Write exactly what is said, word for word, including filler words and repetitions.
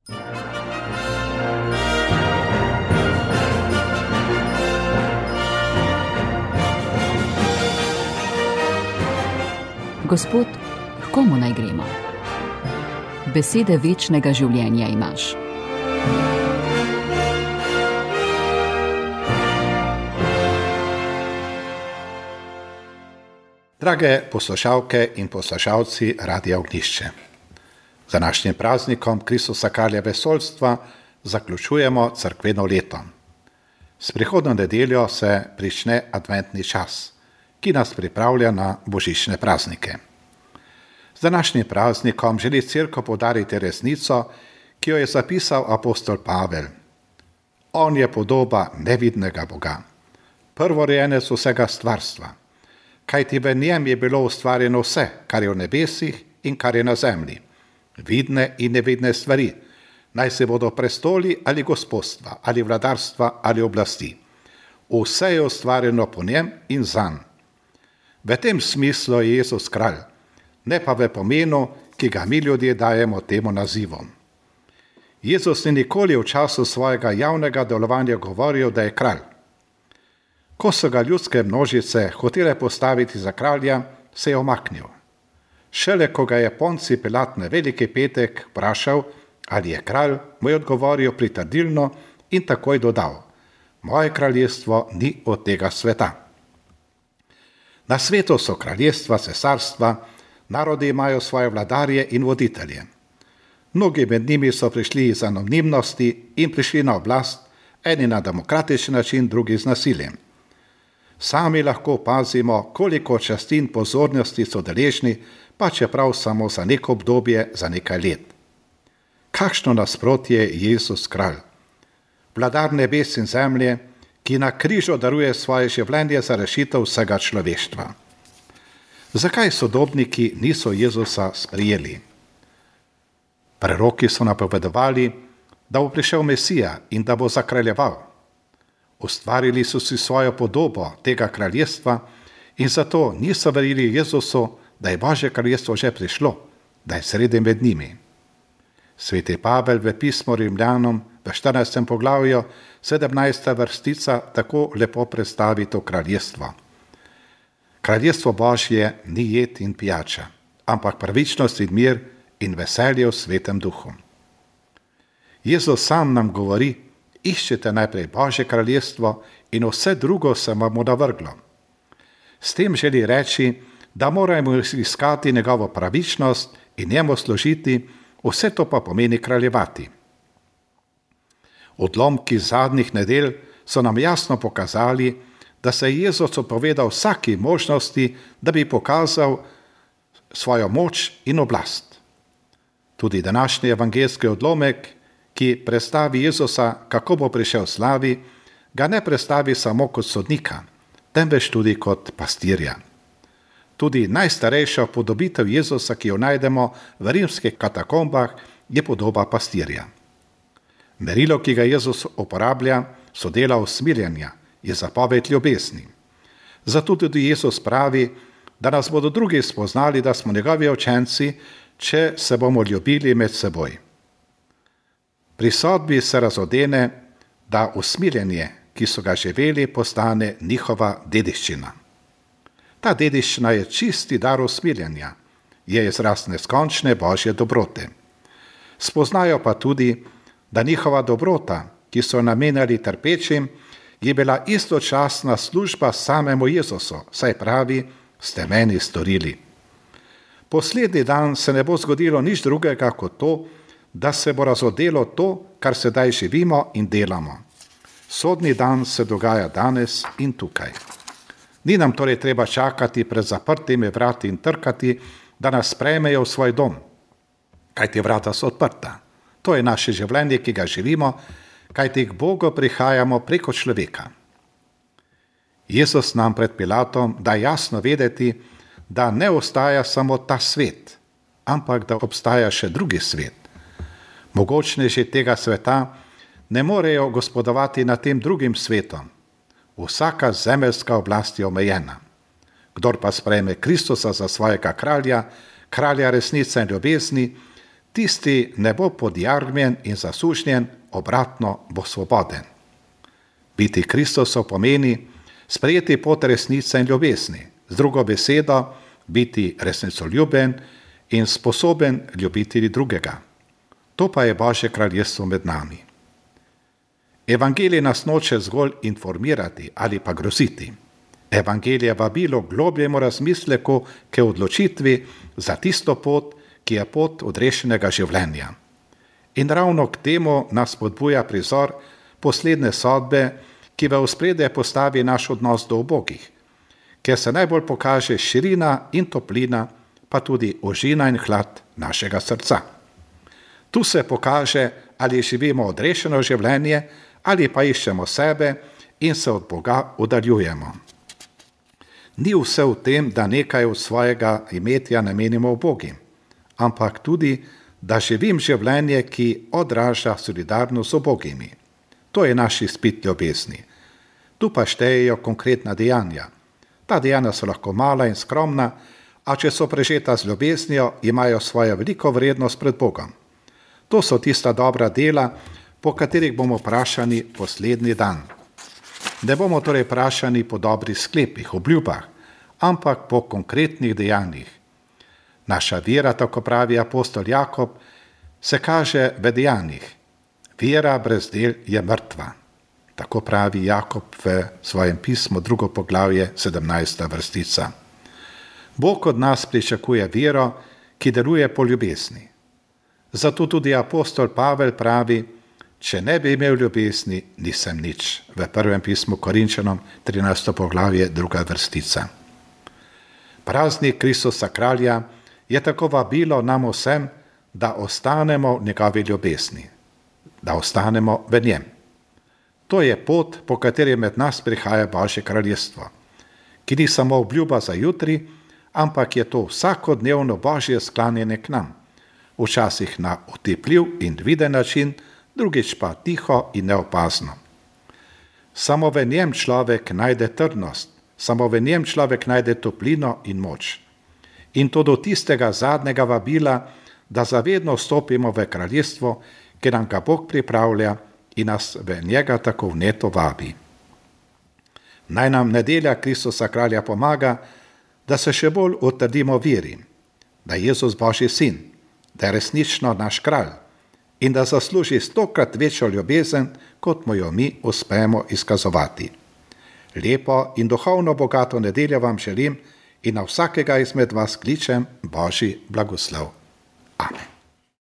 Gospod, k komu naj gremo? Besede večnega življenja imaš. Drage poslušalke in poslušalci Radia Ognjišče, z današnjim praznikom Kristusa kralja vesoljstva zaključujemo cerkveno leto. S prihodnjo nedeljo se prične adventni čas, ki nas pripravlja na božične praznike. Z današnjim praznikom želi Cerkev poudariti resnico, ki jo je zapisal apostol Pavel. On je podoba nevidnega Boga, prvorojenec vsega stvarstva, kajti v njem je bilo ustvarjeno vse, kar je v nebesih in kar je na zemlji, vidne in nevidne stvari, naj se bodo prestoli ali gospodstva, ali vladarstva, ali oblasti. Vse je ustvarjeno po njem in zanj. V tem smislu je Jezus kralj, ne pa v pomenu, ki ga mi ljudje dajemo temu nazivu. Jezus ni nikoli v času svojega javnega delovanja govoril, da je kralj. Ko so ga ljudske množice hotele postaviti za kralja, se je omaknil. Šele ko ga je Poncij Pilat na veliki petek vprašal, ali je kralj, mu je odgovoril pritrdilno in takoj dodal: moje kraljestvo ni od tega sveta. Na svetu so kraljestva, cesarstva, narodi imajo svoje vladarje in voditelje. Mnogi med njimi so prišli iz anonimnosti in prišli na oblast, eni na demokratičen način, drugi z nasiljem. Sami lahko opazimo, koliko časti in pozornosti so deležni, pa čeprav samo za neko obdobje, za nekaj let. Kakšno nasprotje je Jezus kralj, vladar nebes in zemlje, ki na križu daruje svoje življenje za rešitev vsega človeštva. Zakaj sodobniki niso Jezusa sprijeli? Preroki so napovedovali, da bo prišel Mesija in da bo zakraljeval. Ustvarili so si svojo podobo tega kraljestva in zato niso verjeli Jezusu, da je Božje kraljestvo že prišlo, da je sredi med njimi. Sveti Pavel v pismu Rimljanom v štirinajstem poglavju, sedemnajsta vrstica, tako lepo predstavi to kraljestvo. Kraljestvo Božje ni jed in pijača, ampak pravičnost in mir in veselje v svetem duhu. Jezus sam nam govori: iščite najprej Božje kraljestvo in vse drugo se vam bo navrglo. S tem želi reči, da moramo iskati njegovo pravičnost in njemu služiti, vse to pa pomeni kraljevati. Odlomki zadnjih nedelj so nam jasno pokazali, da se je Jezus odpovedal vsaki možnosti, da bi pokazal svojo moč in oblast. Tudi današnji evangeljski odlomek, ki predstavi Jezusa, kako bo prišel slavi, ga ne predstavi samo kot sodnika, temveč tudi kot pastirja. Tudi najstarejša podobitev Jezusa, ki jo najdemo v rimskih katakombah, je podoba pastirja. Merilo, ki ga Jezus uporablja, so dela usmiljenja, je zapoved ljubezni. Zato tudi Jezus pravi, da nas bodo drugi spoznali, da smo njegovi učenci, če se bomo ljubili med seboj. Pri sodbi se razodene, da usmiljenje, ki so ga živeli, postane njihova dediščina. Ta dediščina je čisti dar usmiljenja, je izraz neskončne Božje dobrote. Spoznajo pa tudi, da njihova dobrota, ki so namenjali trpečim, je bila istočasna služba samemu Jezusu, saj pravi: ste meni storili. Poslednji dan se ne bo zgodilo nič drugega kot to, da se bo razodelo to, kar sedaj živimo in delamo. Sodni dan se dogaja danes in tukaj. Ni nam torej treba čakati pred zaprtimi vrati in trkati, da nas sprejmejo v svoj dom, kajti vrata so odprta. To je naše življenje, ki ga živimo, kajti k Bogu prihajamo preko človeka. Jezus nam pred Pilatom da jasno vedeti, da ne ostaja samo ta svet, ampak da obstaja še drugi svet. Mogočneži tega sveta ne morejo gospodovati nad tem drugim svetom. Vsaka zemeljska oblast je omejena. Kdor pa sprejme Kristusa za svojega kralja, kralja resnice in ljubezni, Tisti ne bo podjarmljen in zasužnjen, obratno bo svoboden. Biti Kristusov pomeni sprejeti pot resnice in ljubezni, z drugo besedo biti resnicoljuben in sposoben ljubiti drugega. To pa je Božje kraljestvo med nami. Evangelij nas noče zgolj informirati ali pa groziti. Evangelij je vabilo k globljemu razmisleku, k odločitvi za tisto pot, ki je pot odrešenega življenja. In ravno k temu nas spodbuja prizor poslednje sodbe, ki v ospredje postavi naš odnos do ubogih, kjer se najbolj pokaže širina in toplina, pa tudi ožina in hlad našega srca. Tu se pokaže, ali živimo odrešeno življenje, ali pa iščemo sebe in se od Boga oddaljujemo. Ni vse v tem, da nekaj od svojega imetja namenimo ubogim, ampak tudi, da živim življenje, ki odraža solidarnost z ubogimi. To je naš izpit ljubezni. Tu pa štejejo konkretna dejanja. Ta dejanja so lahko mala in skromna, a če so prežeta z ljubeznijo, imajo svojo veliko vrednost pred Bogom. To so tista dobra dela, po katerih bomo vprašani poslednji dan. Ne bomo torej vprašani po dobrih sklepih, obljubah, ampak po konkretnih dejanjih. Naša vera, tako pravi apostol Jakob, se kaže v dejanjih. Vera brez del je mrtva. Tako pravi Jakob v svojem pismu, drugo poglavje, sedemnajsta vrstica. Bog od nas pričakuje vero, ki deluje po ljubezni. Zato tudi apostol Pavel pravi, če ne bi imel ljubezni, nisem nič. V prvem pismu Korinčanom, trinajsto poglavje, druga vrstica. Praznik Kristusa kralja je tako vabilo nam vsem, da ostanemo v njegovi ljubezni, da ostanemo v njem. To je pot, po kateri med nas prihaja Božje kraljestvo, ki ni samo obljuba za jutri, ampak je to vsakodnevno Božje sklanjanje k nam, včasih na otipljiv in viden način, drugič pa tiho in neopazno. Samo v njem človek najde trdnost, samo v njem človek najde toplino in moč. In to do tistega zadnjega vabila, da zavedno vstopimo v kraljestvo, ki nam ga Bog pripravlja in nas v njega tako vneto vabi. Naj nam nedelja Kristusa kralja pomaga, da se še bolj utrdimo veri, da je Jezus Božji sin, da je resnično naš kralj in da zasluži stokrat večjo ljubezen, kot mu jo mi uspemo izkazovati. Lepo in duhovno bogato nedeljo vam želim in na vsakega izmed vas kličem Božji blagoslov. Amen.